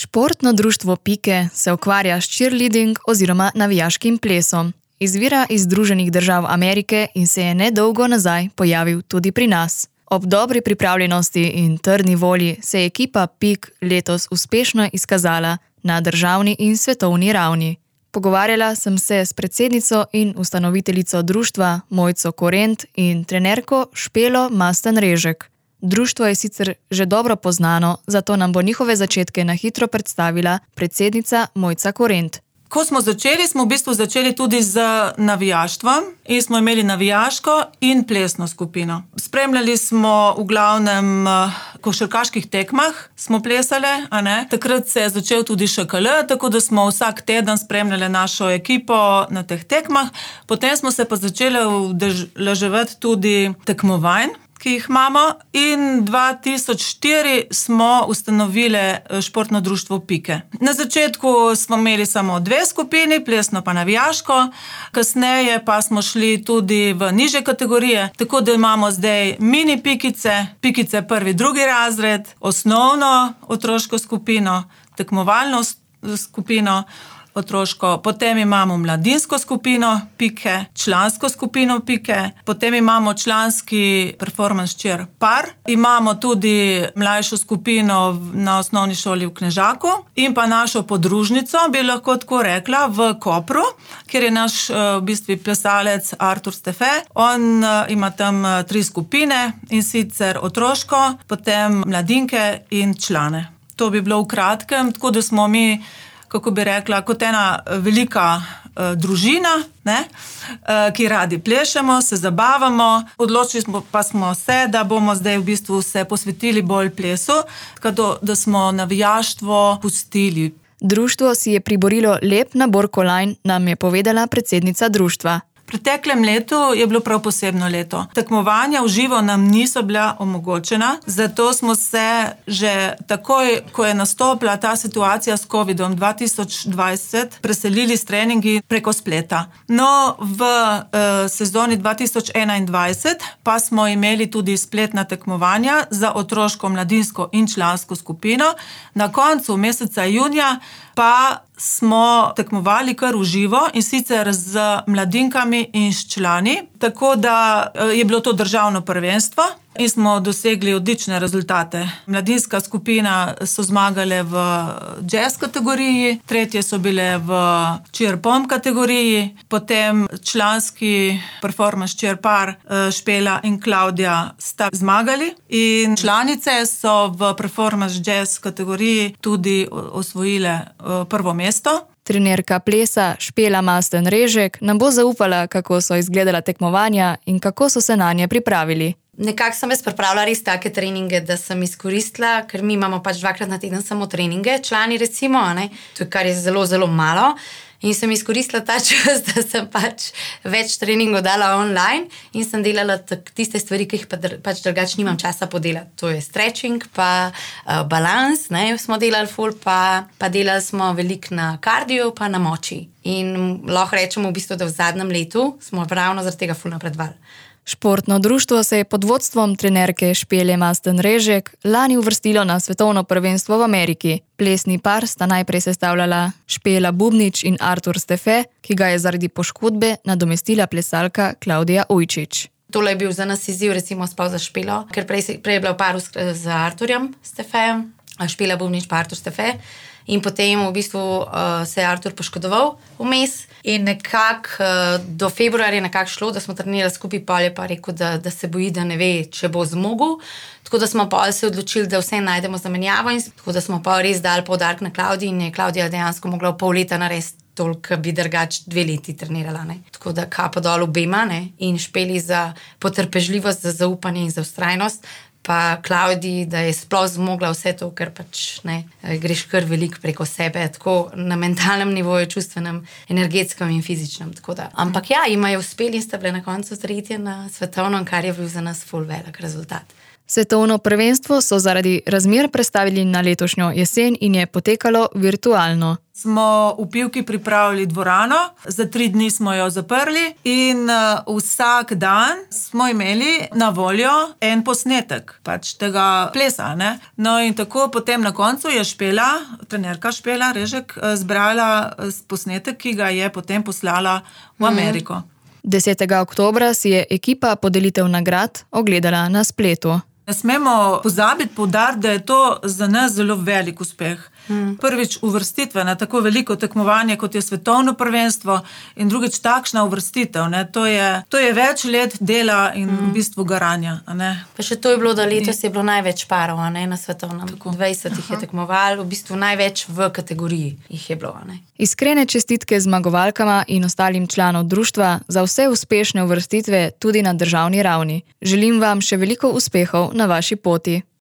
Športno društvo Pike se ukvarja s cheerleading oziroma navijaškim plesom. Izvira iz Združenih držav Amerike in se je nedolgo nazaj pojavil tudi pri nas. Ob dobri pripravljenosti in trdni volji se je ekipa Pik letos uspešno izkazala na državni in svetovni ravni. Pogovarjala sem se s predsednico in ustanoviteljico društva Mojco Korent in trenerko Špelo Masten-Režek. Društvo je sicer že dobro poznano, zato nam bo njihove začetke na hitro predstavila predsednica Mojca Korent. Ko smo v bistvu začeli tudi z navijaštvom in smo imeli navijaško in plesno skupino. Spremljali smo v glavnem košarkaških tekmah, smo plesali, Takrat se je začel tudi ŠKL, tako da smo vsak teden spremljali našo ekipo na teh tekmah. Potem smo se pa začeli udeleževati tudi tekmovanj, ki jih imamo, in 2004 smo ustanovili športno društvo Pike. Na začetku smo imeli samo 2 skupini, plesno pa navijaško, kasneje pa smo šli tudi v nižje kategorije, tako da imamo zdaj mini pikice, pikice 1., 2. razred, osnovno otroško skupino, tekmovalno skupino otroško, potem imamo mladinsko skupino Pike, člansko skupino Pike, potem imamo članski performance cheer par, imamo tudi mlajšo skupino na osnovni šoli v Knežaku in pa našo podružnico, bi lahko tako rekla, v Kopru, kjer je naš v bistvu plesalec Artur Stefe. On ima tam 3 skupine, in sicer otroško, potem mladinke in člane. To bi bilo v kratkem, tako da smo mi, kako bi rekla, kot ena velika družina, ki radi plešemo, se zabavamo. Odločili smo se, da bomo zdaj v bistvu se posvetili bolj plesu, tako da smo navijaštvo pustili. Društvo si je priborilo lep nabor kolajn, nam je povedala predsednica društva. V preteklem letu je bilo prav posebno leto. Tekmovanja v živo nam niso bila omogočena, zato smo se že takoj, ko je nastopila ta situacija s COVID-om 2020, preselili s treningi preko spleta. No, v sezoni 2021 pa smo imeli tudi spletna tekmovanja za otroško, mladinsko in člansko skupino. Na koncu meseca junija pa smo tekmovali kar v živo, in sicer z mladinkami in s člani, tako da je bilo to državno prvenstvo in smo dosegli odlične rezultate. Mladinska skupina so zmagale v jazz kategoriji, tretje so bile v cheer pom kategoriji, potem članski performance cheer par Špela in Klavdija sta zmagali in članice so v performance jazz kategoriji tudi osvojile prvo mesto. Trenerka plesa Špela Masten-Režek nam bo zaupala, kako so izgledala tekmovanja in kako so se nanje pripravili. Nekako sem jaz pripravila res take treninge, da sem izkoristila, ker mi imamo 2-krat na teden samo treninge, člani recimo, to je kar je zelo, zelo malo. In sem izkoristila ta čas, da sem več treningov dala online in sem delala tiste stvari, ki jih drugače nimam časa podelati. To je stretching, pa balans, smo delali ful, pa delali smo veliko na kardio, pa na moči. In lahko rečemo v bistvu, da v zadnjem letu smo ravno zaradi tega ful napredovali. Športno društvo se je pod vodstvom trenerke Špele Masten-Režek lani uvrstilo na svetovno prvenstvo v Ameriki. Plesni par sta najprej sestavljala Špela Bubnič in Artur Stefe, ki ga je zaradi poškodbe nadomestila plesalka Klavdija Ujčič. Tole je bil za nas izziv, recimo spal za Špelo, ker prej je bila v paru z Arturjem Stefejem, Špela Bubnič pa Artur Stefe. In potem v bistvu se je Artur poškodoval vmes in nekako do februarja nekako šlo, da smo trenirali skupaj, pol je pa rekel, da se boji, da ne ve, če bo zmogel. Tako da smo pol se odločili, da vse najdemo zamenjavo, in tako da smo pa res dali poudarek na Klavdiji in je Klavdija dejansko mogla v pol leta narediti toliko, bi drugače 2 leti trenirala. Tako da kapo dol obema in Špeli za potrpežljivost, za zaupanje in za vztrajnost, pa Klavdiji, da je sploh zmogla vse to, ker greš kar veliko preko sebe, tako na mentalnem nivoju, čustvenem, energetskem in fizičnem. Ampak ja, jima je uspeli in sta bile na koncu 3. na svetovnem, kar je bil za nas ful velik rezultat. Svetovno prvenstvo so zaradi razmer prestavili na letošnjo jesen in je potekalo virtualno. smo v Pivki pripravili dvorano, za 3 dni smo jo zaprli in vsak dan smo imeli na voljo en posnetek pač tega plesa. Ne? No in tako potem na koncu je trenerka Špela Režek zbrala posnetek, ki ga je potem poslala v Ameriko. 10. oktobra si je ekipa podelitev nagrad ogledala na spletu. Ne smemo pozabiti poudariti, da je to za nas zelo velik uspeh. Prvič uvrstitve na tako veliko tekmovanje, kot je svetovno prvenstvo, in drugič takšna uvrstitev. Ne? To je več let dela in v bistvu garanja. Ne? Pa še to je bilo, da letos je bilo največ parov, ne, na svetovnem. Tako. 20 jih je tekmoval, v bistvu največ v kategoriji jih je bilo. Ne? Iskrene čestitke zmagovalkama in ostalim članom društva za vse uspešne uvrstitve tudi na državni ravni. Želim vam še veliko uspehov na vaši poti.